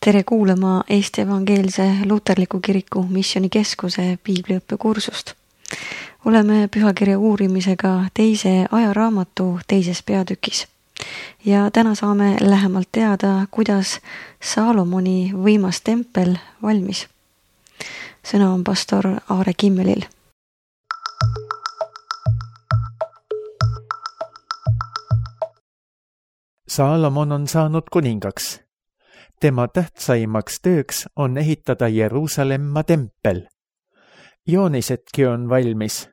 Tere kuulama Eesti Evangeelse Luterliku Kiriku Missioonikeskuse piibliõppekursust. Oleme pühakirja uurimisega teise ajaraamatu teises peatükis. Ja täna saame lähemalt teada, kuidas Saalomoni võimas tempel valmis. Sõna on pastor Aare Kimmelil. Saalomon on saanud kuningaks. Tema tähtsaimaks tööks on ehitada Jeruusalemma tempel. Joonisedki on valmis.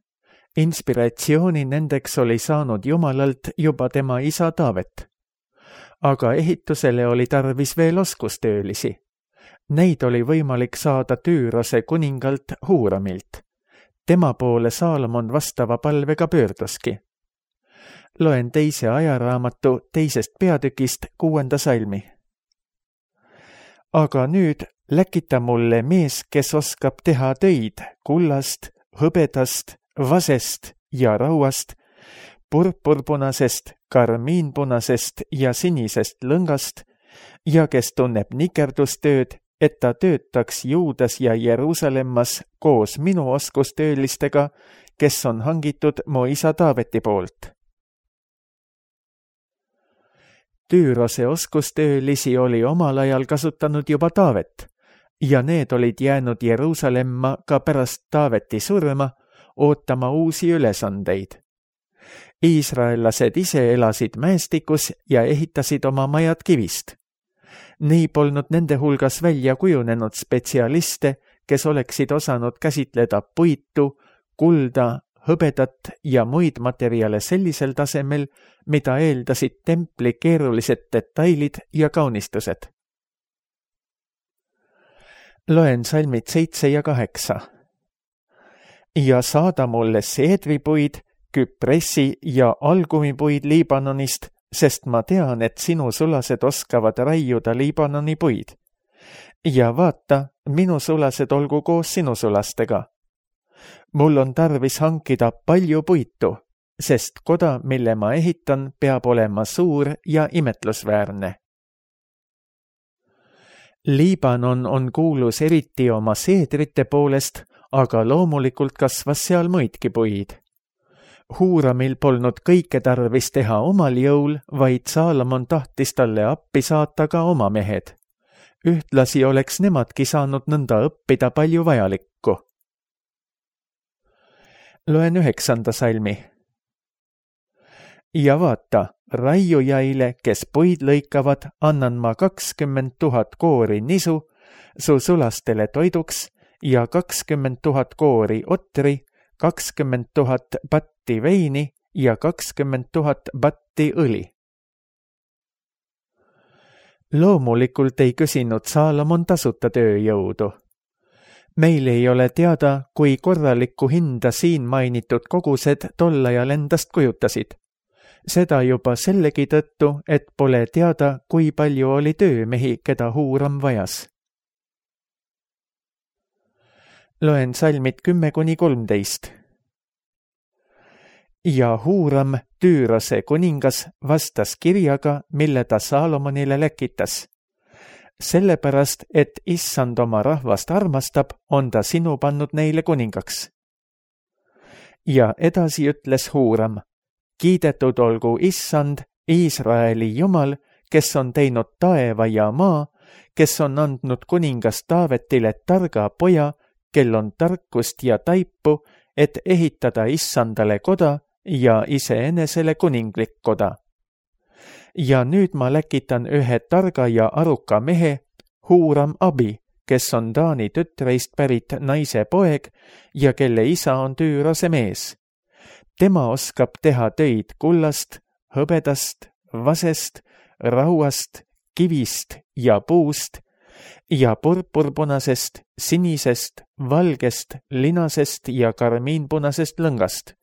Inspiratsiooni nendeks oli saanud Jumalalt juba tema isa Taavet. Aga ehitusele oli tarvis veel oskustöölisi. Neid oli võimalik saada Tüürose kuningalt Huuramilt. Tema poole Saalomon vastava palvega pöörduski. Loen teise ajaraamatu teisest peatükist 6. salmi. Aga nüüd läkita mulle mees, kes oskab teha töid kullast, hõbedast, vasest ja rauast, purpurpunasest, karmiinpunasest ja sinisest lõngast ja kes tunneb nikerdustööd, et ta töötaks Juudas ja Jeruusalemmas koos minu oskustöölistega, kes on hangitud mu isa Taaveti poolt. Tüürose oskustöölisi oli omal ajal kasutanud juba Taavet ja need olid jäänud Jeruusalemma ka pärast Taaveti surma ootama uusi ülesandeid. Iisraellased ise elasid mäestikus ja ehitasid oma majad kivist. Nii polnud nende hulgas välja kujunenud spetsialiste, kes oleksid osanud käsitleda puitu, kulda, hõbedat ja muid materjale sellisel tasemel, mida eeldasid templi keerulised detailid ja kaunistused. Loen salmid 7 ja 8. Ja saada mulle seedripuid, küpressi ja algumipuid Liibanonist, sest ma tean, et sinu sulased oskavad raiuda Liibanoni puid. Ja vaata, minu sulased olgu koos sinu sulastega. Mul on tarvis hankida palju puitu, sest koda, mille ma ehitan, peab olema suur ja imetlusväärne. Liibanon on kuulus eriti oma seedrite poolest, aga loomulikult kasvas seal muidki puid. Huuramil polnud kõike tarvis teha omal jõul, vaid Saalomon tahtis talle appi saata ka oma mehed. Ühtlasi oleks nemadki saanud nõnda õppida palju vajalikku. Loen 9. salmi. Ja vaata, raiujaile, kes puid lõikavad, annan ma 20 000 koori nisu su sulastele toiduks ja 20 000 koori otri, 20 000 batti veini ja 20 000 batti õli. Loomulikult ei küsinud Saalomon tasuta tööjõudu. Meil ei ole teada, kui korralikku hinda siin mainitud kogused tol ajal endast kujutasid. Seda juba sellegi tõttu, et pole teada, kui palju oli töömehi, keda Huuram vajas. Loen salmid 10-13. Ja Huuram, Tüürose kuningas, vastas kirjaga, mille ta Saalomonile läkitas. Sellepärast, et issand oma rahvast armastab, on ta sinu pannud neile kuningaks. Ja edasi ütles Huuram, kiidetud olgu issand, Iisraeli Jumal, kes on teinud taeva ja maa, kes on andnud kuningas Taavetile targa poja, kel on tarkust ja taipu, et ehitada issandale koda ja iseenesele kuninglik koda. Ja nüüd ma läkitan ühe targa ja aruka mehe, Huuram Abi, kes on Taani tütreist pärit naise poeg ja kelle isa on Tüürose mees. Tema oskab teha töid kullast, hõbedast, vasest, rauast, kivist ja puust ja purpurpunasest, sinisest, valgest, linasest ja karmiinpunasest lõngast.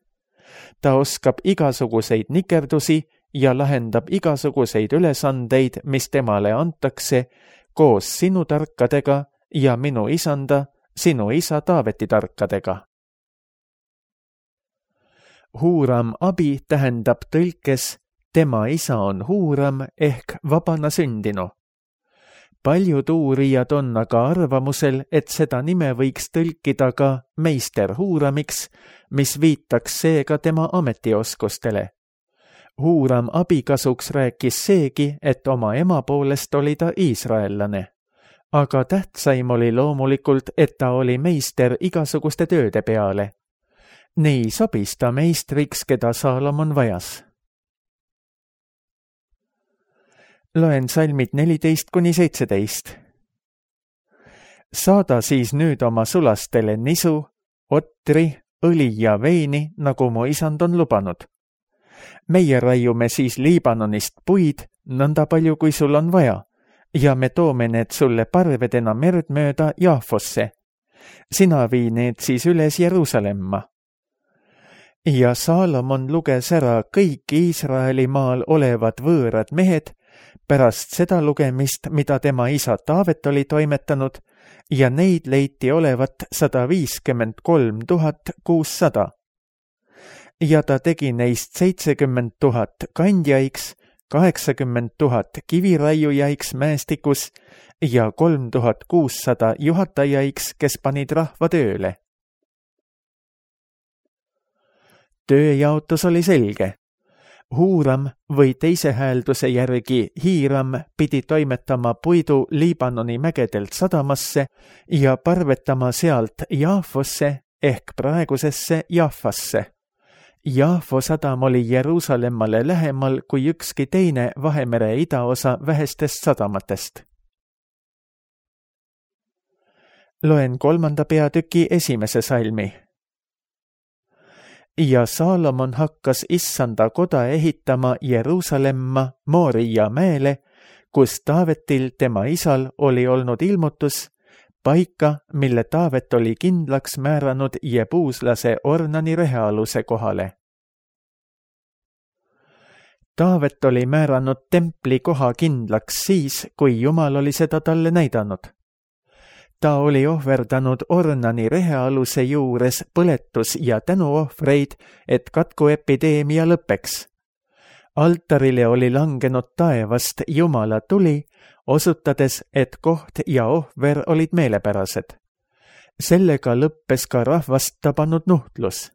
Ta oskab igasuguseid nikerdusi ja lahendab igasuguseid ülesandeid, mis temale antakse, koos sinu tarkadega ja minu isanda, sinu isa Taaveti tarkadega. Huuram Abi tähendab tõlkes tema isa on Huuram ehk vabana sündinu. Paljud uurijad on aga arvamusel, et seda nime võiks tõlkida ka meister Huuramiks, mis viitaks seega tema ametioskustele. Huuram abikasuks rääkis seegi, et oma ema poolest oli ta iisraellane. Aga tähtsaim oli loomulikult, et ta oli meister igasuguste tööde peale. Nii sobis ta meistriks, keda Saalomon vajas. Loen salmid 14-17. Saada siis nüüd oma sulastele nisu, otri, õli ja veini, nagu mu isand on lubanud. Meie raiume siis Liibanonist puid, nõnda palju kui sul on vaja, ja me toome need sulle parvedena merd mööda Jaafosse. Sina vii need siis üles Jeruusalemma. Ja Saalomon luges ära kõik Iisraeli maal olevad võõrad mehed, pärast seda lugemist, mida tema isa Taavet oli toimetanud, ja neid leiti olevat 153 600. Ja ta tegi neist 70 000 kandjaiks, 80 000 kiviraiujaiks mäestikus ja 3600 juhatajaiks, kes panid rahva tööle. Tööjaotus oli selge. Huuram või teise häälduse järgi Hiiram pidi toimetama puidu Liibanoni mägedelt sadamasse ja parvetama sealt Jaafosse ehk praegusesse Jaffasse. Jaafo sadam oli Jeruusalemmale lähemal kui ükski teine Vahemere idaosa vähestest sadamatest. Loen 3. peatüki 1. salmi. Ja Saalomon hakkas Issanda koda ehitama Jeruusalemma Mooria mäele, kus Taavetil tema isal oli olnud ilmutus, paika, mille Taavet oli kindlaks määranud jebuuslase Ornani rehealuse kohale. Taavet oli määranud templi koha kindlaks siis, kui Jumal oli seda talle näidanud. Ta oli ohverdanud Ornani rehealuse juures põletus- ja tänuohvreid, et katkuepideemia lõpeks. Altarile oli langenud taevast Jumala tuli, osutades, et koht ja ohver olid meelepärased. Sellega lõppes ka rahvast tabanud nuhtlus.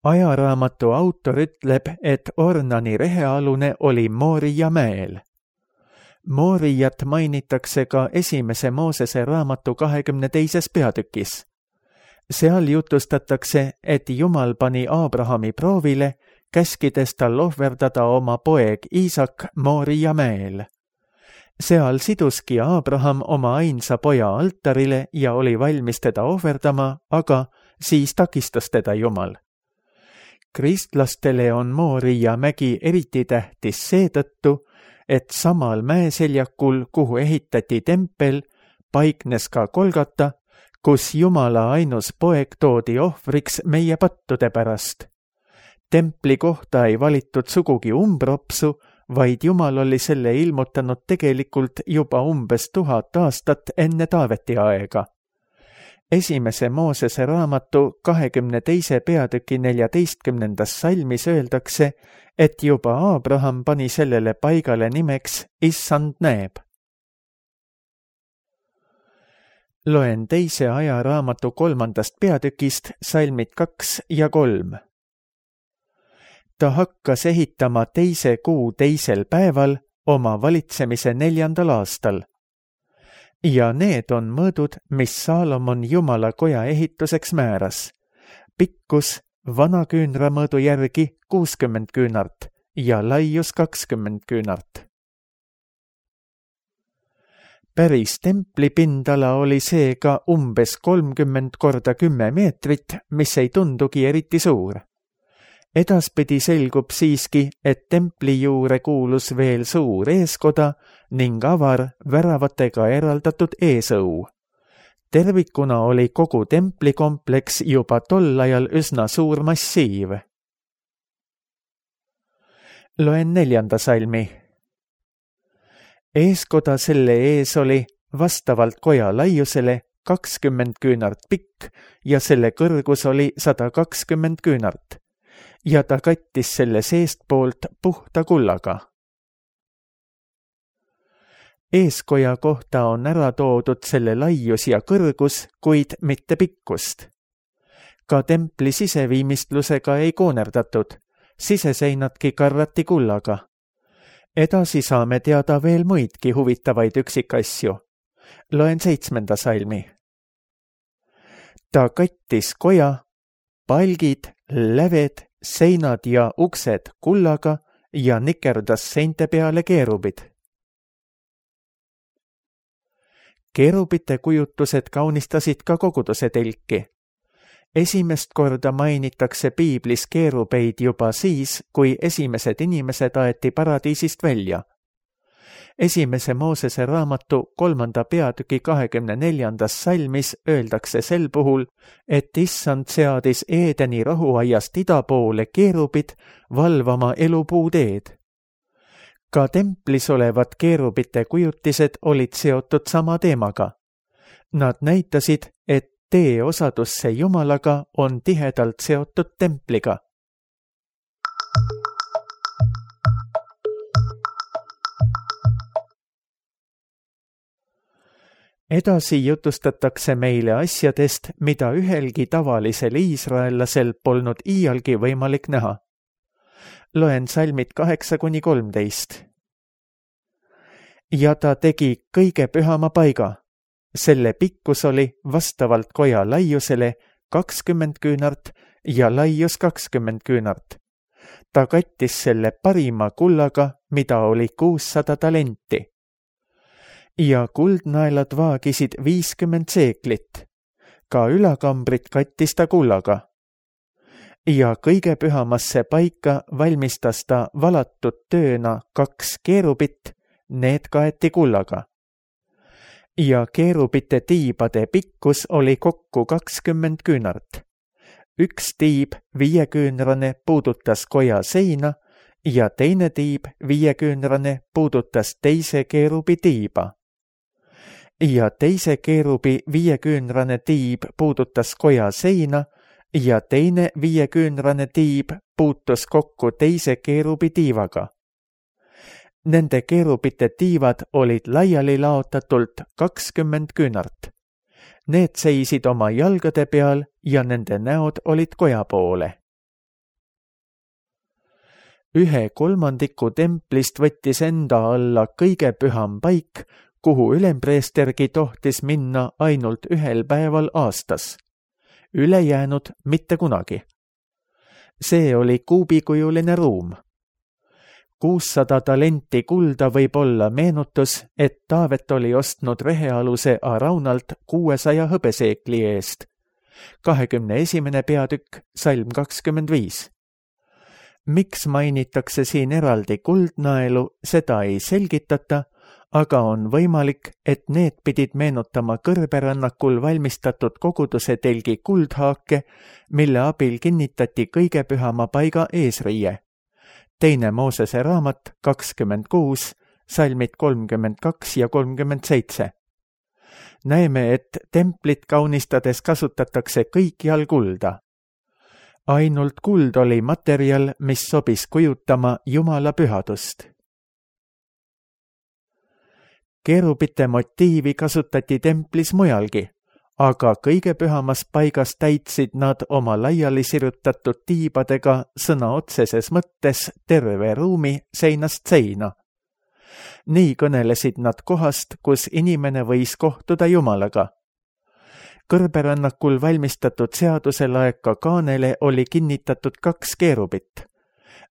Ajaraamatu autor ütleb, et Ornani rehealune oli Mooria mäel. Mooriat mainitakse ka 1. Moosese raamatu 22. peatükis. Seal jutustatakse, et Jumal pani Aabrahami proovile, käskides tal ohverdada oma poeg Iisak Mooria mäel. Seal siduski Aabraham oma ainsa poja altarile ja oli valmis teda ohverdama, aga siis takistas teda Jumal. Kristlastele on Mooria mägi eriti tähtis seetõttu, et samal mäeseljakul, kuhu ehitati tempel, paiknes ka Golgata, kus Jumala ainus poeg toodi ohvriks meie pattude pärast. Templi kohta ei valitud sugugi umbropsu, vaid Jumal oli selle ilmutanud tegelikult juba umbes 1000 aastat enne Taaveti aega. 1. Moosese raamatu 22. peatüki 14. salmis öeldakse, et juba Aabraham pani sellele paigale nimeks Issand näeb. Loen 2. ajaraamatu 3. peatükist salmid 2 ja 3. Ta hakkas ehitama 2. kuu 2. päeval oma valitsemise 4. aastal. Ja need on mõõdud, mis Saalomon Jumala koja ehituseks määras. Pikkus vana küünramõõdu järgi 60 küünart ja laius 20 küünart. Päris templi pindala oli seega umbes 30 × 10 meetrit, mis ei tundugi eriti suur. Edaspidi selgub siiski, et templi juurde kuulus veel suur eeskoda ning avar väravatega eraldatud eesõu. Tervikuna oli kogu templikompleks juba tol ajal üsna suur massiiv. Loen 4. salmi. Eeskoda selle ees oli vastavalt koja laiusele 20 küünart pikk ja selle kõrgus oli 120 küünart. Ja ta kattis selle seestpoolt puhta kullaga. Eeskoja kohta on ära toodud selle laius ja kõrgus, kuid mitte pikkust. Ka templi siseviimistlusega ei koonerdatud, siseseinadki karrati kullaga. Edasi saame teada veel muidki huvitavaid üksikasju. Loen 7. salmi. Ta kattis koja, palgid, läved, seinad ja uksed kullaga ja nikerdas seinte peale keerubid. Keerubite kujutused kaunistasid ka koguduse telki. Esimest korda mainitakse piiblis keerubeid juba siis, kui esimesed inimesed aeti paradiisist välja. Esimese Moosese raamatu 3. peatüki 24. salmis öeldakse sel puhul, et issand seadis Eedeni rohuaiast ida poole keerubid valvama elupuuteed. Ka templis olevad keerubite kujutised olid seotud sama teemaga. Nad näitasid, et tee osadusse Jumalaga on tihedalt seotud templiga. Edasi jutustatakse meile asjadest, mida ühelgi tavalisel iisraellasel polnud iialgi võimalik näha. Loen salmid 8-13. Ja ta tegi kõige pühama paiga. Selle pikkus oli vastavalt koja laiusele 20 küünart ja laius 20 küünart. Ta kattis selle parima kullaga, mida oli 600 talenti. Ja kuldnaelad vaagisid 50 seeklit. Ka ülakambrit kattis ta kullaga. Ja kõige pühamasse paika valmistas ta valatud tööna 2 keerubit, need kaeti kullaga. Ja keerubite tiibade pikkus oli kokku 20 küünart. Üks tiib 5-küünrane puudutas koja seina ja teine tiib 5-küünrane puudutas teise keerubi tiiba. Ja teise keerubi 5-küünrane tiib puudutas koja seina ja teine 5-küünrane tiib puutus kokku teise keerubi tiivaga. Nende keerubite tiivad olid laiali laotatult 20 küünart. Need seisid oma jalgade peal ja nende näod olid koja poole. 1/3 templist võttis enda alla kõige püham paik, kuhu ülempreestergi tohtis minna ainult 1 päeval aastas. Ülejäänud mitte kunagi. See oli kuubikujuline ruum. 600 talenti kulda võib olla meenutus, et Taavet oli ostnud rehealuse Araunalt 600 hõbeseekli eest. 21. peatükk, salm 25. Miks mainitakse siin eraldi kuldnaelu, seda ei selgitata, aga on võimalik, et need pidid meenutama kõrberännakul valmistatud koguduse telgi kuldhaake, mille abil kinnitati kõige pühama paiga eesriie. 2. Moosese raamat 26, salmid 32 ja 37. Näeme, et templit kaunistades kasutatakse kõikjal kulda. Ainult kuld oli materjal, mis sobis kujutama Jumala pühadust. Keerubite motiivi kasutati templis mujalgi, aga kõige pühamas paigas täitsid nad oma laiali sirutatud tiibadega sõna otseses mõttes terve ruumi seinast seina. Nii kõnelesid nad kohast, kus inimene võis kohtuda Jumalaga. Kõrberännakul valmistatud seaduselaeka kaanele oli kinnitatud 2 keerubit.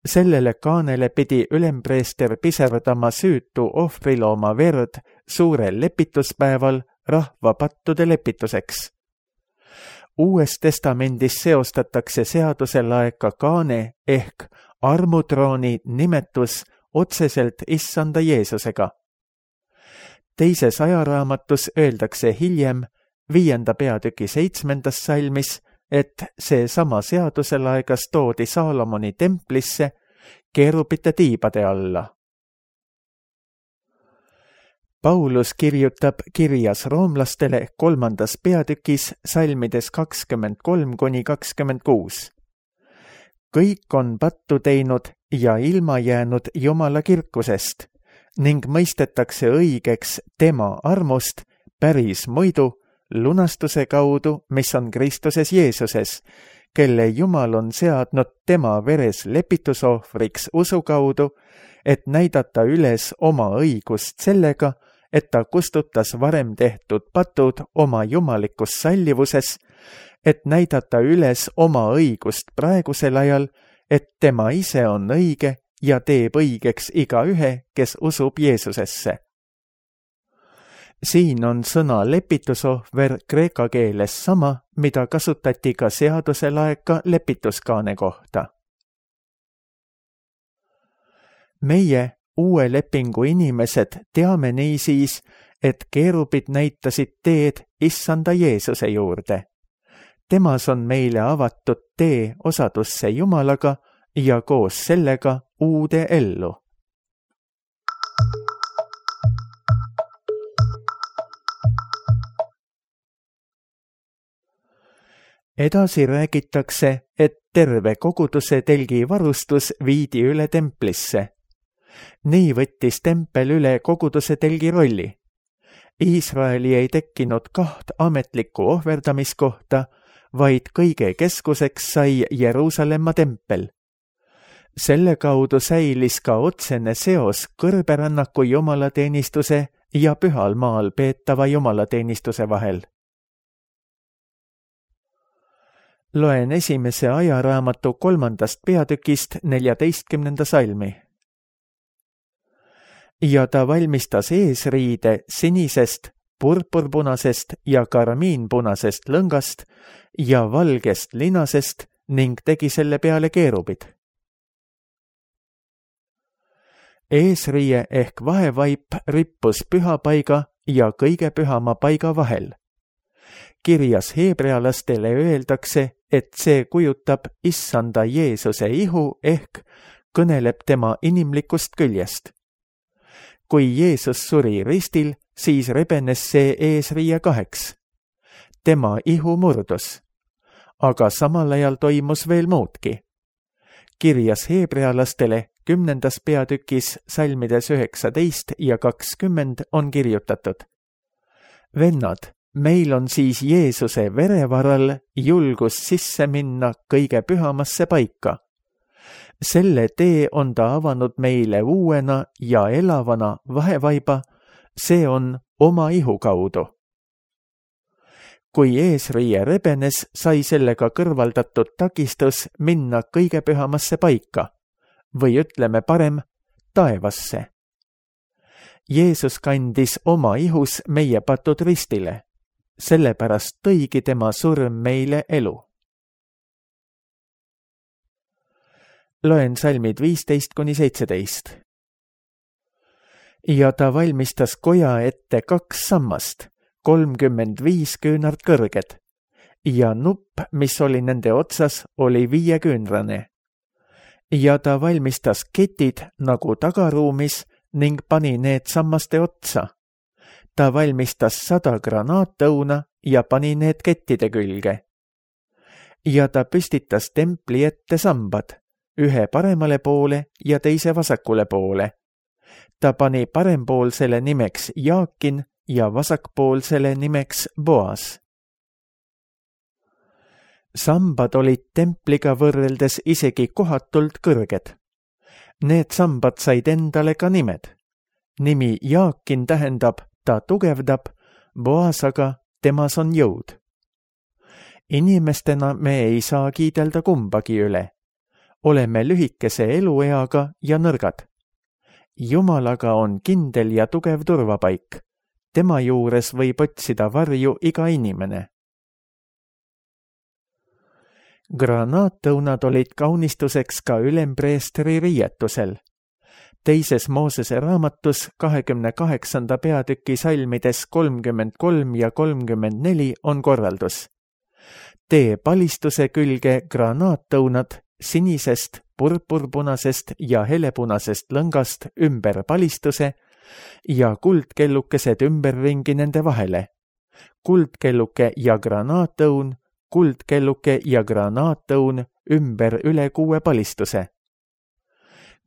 Sellele kaanele pidi ülempreester piserdama süütu ohvrilooma verd suurel lepituspäeval rahva pattude lepituseks. Uues testamendis seostatakse seaduselaeka kaane ehk armutrooni nimetus otseselt issanda Jeesusega. Teises ajaraamatus öeldakse hiljem 5. peatüki 7. salmis, et see sama seaduselaegas toodi Saalomoni templisse keerubite tiibade alla. Paulus kirjutab kirjas roomlastele 3. peatükis salmides 23-26. Kõik on pattu teinud ja ilma jäänud Jumala kirkusest, ning mõistetakse õigeks tema armust päris muidu lunastuse kaudu, mis on Kristuses Jeesuses, kelle Jumal on seadnud tema veres lepitusohvriks usu kaudu, et näidata üles oma õigust sellega, et ta kustutas varem tehtud patud oma jumalikus sallivuses, et näidata üles oma õigust praegusel ajal, et tema ise on õige ja teeb õigeks igaühe, kes usub Jeesusesse. Siin on sõna lepitusohver kreeka keeles sama, mida kasutati ka seaduse laeka lepituskaane kohta. Meie, uue lepingu inimesed, teame niisiis, et keerubid näitasid teed Issanda Jeesuse juurde. Temas on meile avatud tee osadusse Jumalaga ja koos sellega uude ellu. Edasi räägitakse, et terve koguduse telgi varustus viidi üle templisse. Nii võttis tempel üle koguduse telgi rolli. Iisraeli ei tekkinud 2 ametlikku ohverdamiskohta, vaid kõige keskuseks sai Jeruusalemma tempel. Selle kaudu säilis ka otsene seos kõrberännaku jumalateenistuse ja pühal maal peetava jumalateenistuse vahel. Loen 1. ajaraamatu 3. peatükist 14. salmi. Ja ta valmistas eesriide sinisest, purpurpunasest ja karmiinpunasest lõngast ja valgest linasest ning tegi selle peale keerubid. Eesriie ehk vahevaip rippus pühapaiga ja kõige pühama paiga vahel. Kirjas heebrealastele öeldakse, et see kujutab Issanda Jeesuse ihu ehk kõneleb tema inimlikust küljest. Kui Jeesus suri ristil, siis rebenes see eesriie 2. Tema ihu murdus. Aga samal ajal toimus veel muudki. Kirjas heebrealastele 10. peatükis salmides 19 ja 20 on kirjutatud. Vennad, meil on siis Jeesuse vere varal julgus sisse minna kõige pühamasse paika. Selle tee on ta avanud meile uuena ja elavana vahevaiba, see on oma ihu kaudu. Kui eesriie rebenes, sai sellega kõrvaldatud takistus minna kõige pühamasse paika, või ütleme parem, taevasse. Jeesus kandis oma ihus meie patud ristile. Sellepärast tõigi tema surm meile elu. Loen salmid 15-17. Ja ta valmistas koja ette 2 sammast, 35 küünart kõrged, ja nupp, mis oli nende otsas, oli 5-küünrane. Ja ta valmistas ketid nagu tagaruumis ning pani need sammaste otsa. Ta valmistas 100 granaatõuna ja pani need kettide külge. Ja ta püstitas templi ette sambad, ühe paremale poole ja teise vasakule poole. Ta pani parempoolsele nimeks Jaakin ja vasakpoolsele nimeks Boas. Sambad olid templiga võrreldes isegi kohatult kõrged. Need sambad said endale ka nimed. Nimi Jaakin tähendab ta tugevdab, Boas aga temas on jõud. Inimestena me ei saa kiidelda kumbagi üle. Oleme lühikese elueaga ja nõrgad. Jumalaga on kindel ja tugev turvapaik. Tema juures võib otsida varju iga inimene. Granaattõunad olid kaunistuseks ka ülempreestri riietusel. Teises Moosese raamatus 28. peatüki salmides 33 ja 34 on korraldus. Tee palistuse külge granaattõunad sinisest, purpurpunasest ja helepunasest lõngast ümber palistuse ja kuldkellukesed ümberringi nende vahele. Kuldkelluke ja granaattõun, kuldkelluke ja granaattõun ümber üle 6 palistuse.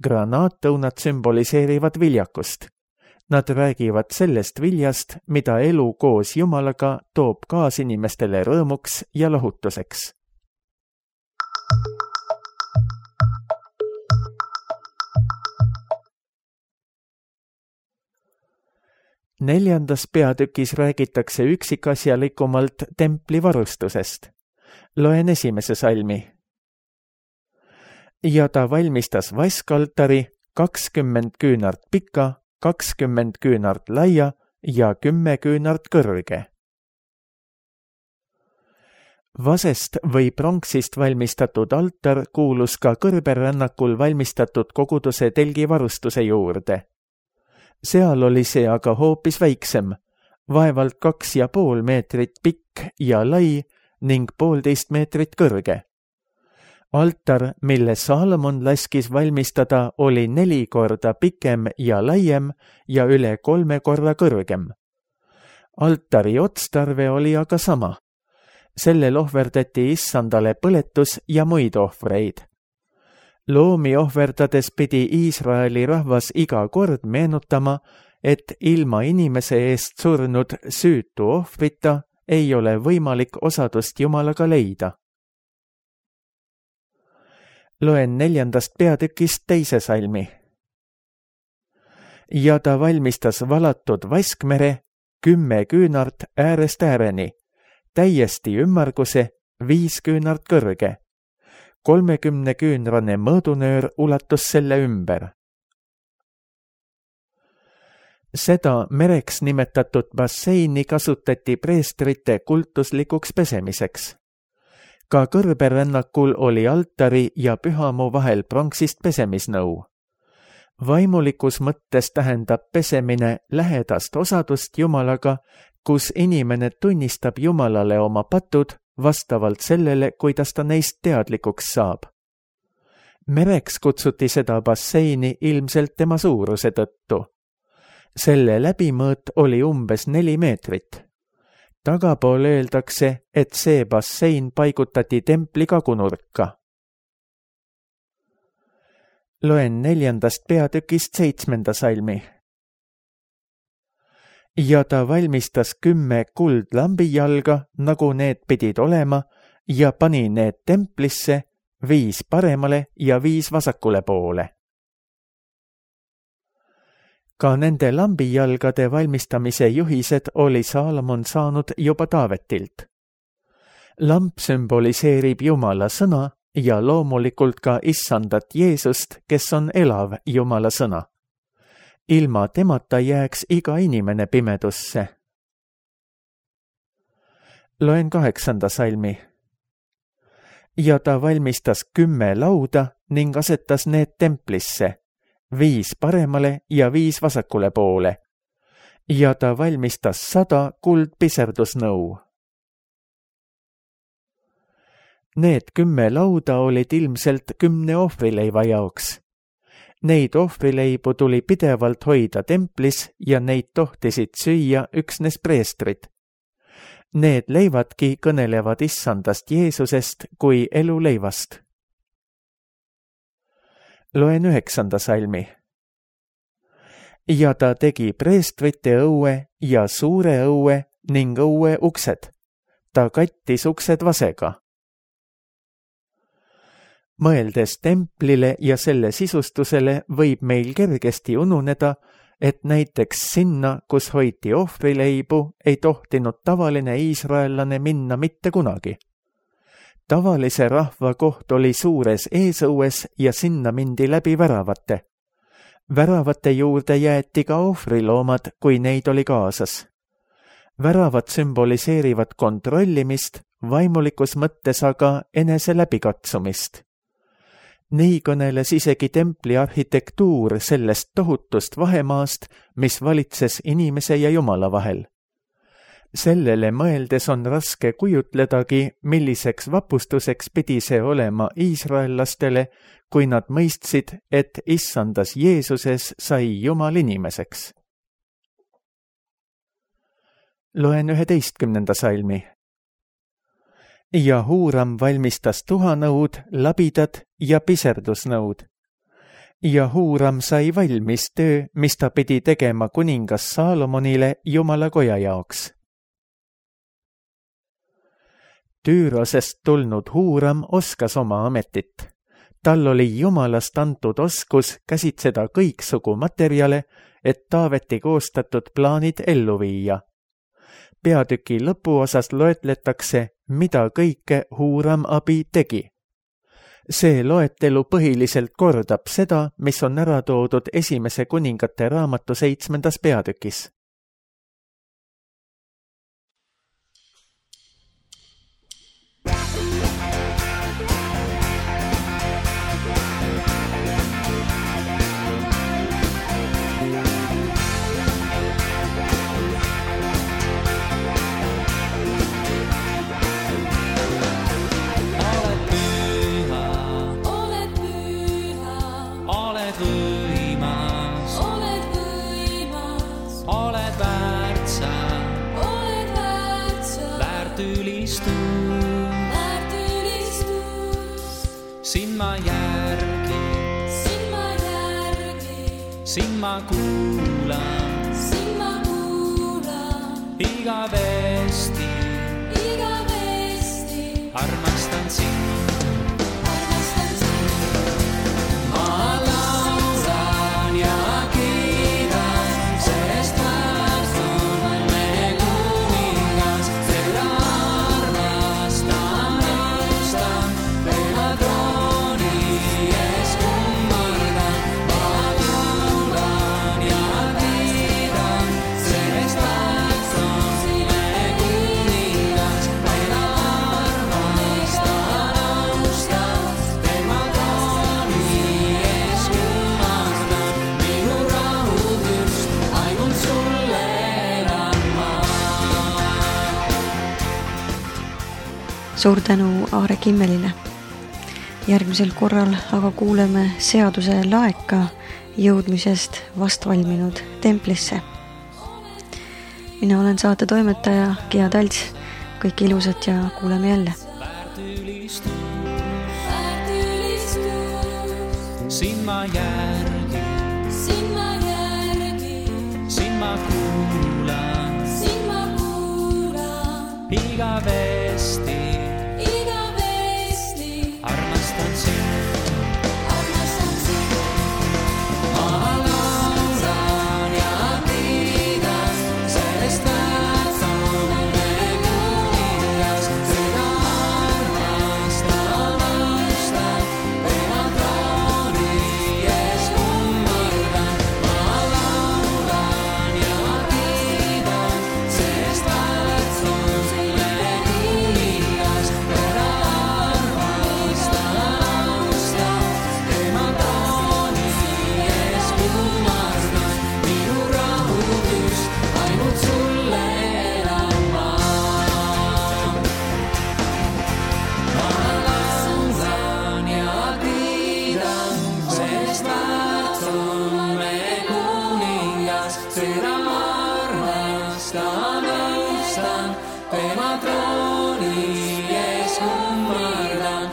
Granaattõunad sümboliseerivad viljakust, Nad räägivad sellest viljast, mida elu koos Jumalaga toob kaasinimestele rõõmuks ja lohutuseks. Neljandas peatükis räägitakse üksikasjalikumalt templi varustusest. Loen 1. salmi. Ja ta valmistas vaskaltari 20 küünart pika, 20 küünart laia ja 10 küünart kõrge. Vasest või pronksist valmistatud altar kuulus ka kõrberännakul valmistatud koguduse telgivarustuse juurde. Seal oli see aga hoopis väiksem, vaevalt 2,5 meetrit pikk ja lai ning 1,5 meetrit kõrge. Altar, mille Saalomon laskis valmistada, oli 4 korda pikem ja laiem ja üle 3 korda kõrgem. Altari otstarve oli aga sama. Sellel ohverdati issandale põletus ja muid ohvreid. Loomi ohverdades pidi Iisraeli rahvas iga kord meenutama, et ilma inimese eest surnud süütu ohvrita ei ole võimalik osadust Jumalaga leida. Loen 4. peatükist 2. salmi. Ja ta valmistas valatud vaskmere 10 küünart äärest ääreni, täiesti ümmarguse 5 küünart kõrge. 30 küünrane mõõdunöör ulatus selle ümber. Seda mereks nimetatud basseini kasutati preestrite kultuslikuks pesemiseks. Ka kõrberännakul oli altari ja pühamu vahel pronksist pesemisnõu. Vaimulikus mõttes tähendab pesemine lähedast osadust Jumalaga, kus inimene tunnistab Jumalale oma patud vastavalt sellele, kuidas ta neist teadlikuks saab. Mereks kutsuti seda basseini ilmselt tema suuruse tõttu. Selle läbimõõt oli umbes 4 meetrit. Tagapool öeldakse, et see bassein paigutati templi kagunurka. Loen 4. peatükist 7. salmi. Ja ta valmistas 10 kuldlambijalga, nagu need pidid olema, ja pani need templisse 5 paremale ja 5 vasakule poole. Ka nende lambijalgade valmistamise juhised oli Saalomon saanud juba Taavetilt. Lamp sümboliseerib Jumala sõna ja loomulikult ka issandat Jeesust, kes on elav Jumala sõna. Ilma temata jääks iga inimene pimedusse. Loen 8. salmi. Ja ta valmistas 10 lauda ning asetas need templisse, 5 paremale ja 5 vasakule poole. Ja ta valmistas 100 kuldpiserdusnõu. Need 10 lauda olid ilmselt 10 ohvrileiva jaoks. Neid ohvrileibu tuli pidevalt hoida templis ja neid tohtisid süüa üksnes preestrid. Need leivadki kõnelevad issandast Jeesusest kui eluleivast. Loen 9. salmi. Ja ta tegi preestrite õue ja suure õue ning õue uksed. Ta kattis uksed vasega. Mõeldes templile ja selle sisustusele võib meil kergesti ununeda, et näiteks sinna, kus hoiti ohvrileibu, ei tohtinud tavaline iisraellane minna mitte kunagi. Tavalise rahva koht oli suures eesõues ja sinna mindi läbi väravate. Väravate juurde jäeti ka ohvriloomad, kui neid oli kaasas. Väravad sümboliseerivad kontrollimist, vaimulikus mõttes aga enese läbikatsumist. Nii kõneles isegi templi arhitektuur sellest tohutust vahemaast, mis valitses inimese ja Jumala vahel. Sellele mõeldes on raske kujutledagi, milliseks vapustuseks pidi see olema iisraellastele, kui nad mõistsid, et issandas Jeesuses sai Jumal inimeseks. Loen 11. salmi. Ja Huuram valmistas tuhanõud, labidad ja piserdusnõud. ja Huram sai valmis töö, mis ta pidi tegema kuningas Saalomonile Jumala koja jaoks. Tüürosest tulnud Huram oskas oma ametit. Tal oli Jumalast antud oskus käsitseda kõiksugu materjale, et Taaveti koostatud plaanid ellu viia. Peatüki lõpuosas loetletakse, mida kõike Huram abi tegi. See loetelu põhiliselt kordab seda, mis on ära toodud Esimese kuningate raamatu 7. peatükis. Siin ma kuulan, igavesti, armastan sind. Ma laulan ja kiidan, sest väärt on meie kuningas, teda armastan, austan, tema trooni ees kummardan. Suur tänu Aare Kimmelile. Järgmisel korral aga kuuleme seaduse laeka jõudmisest vastvalminud templisse. Mina olen saate toimetaja Gea Talts. Kõik ilusat ja kuuleme jälle. Siin ma järgi, siin ma kuulan, igavesti, armastan sind. Ma laulan ja kiidan, sest väärt on meie kuningas, teda armastan, austan, tema trooni ees kummardan. Ma laulan ja kiidan, sest väärt on meie kuningas, teda tema trooni ees kummardan.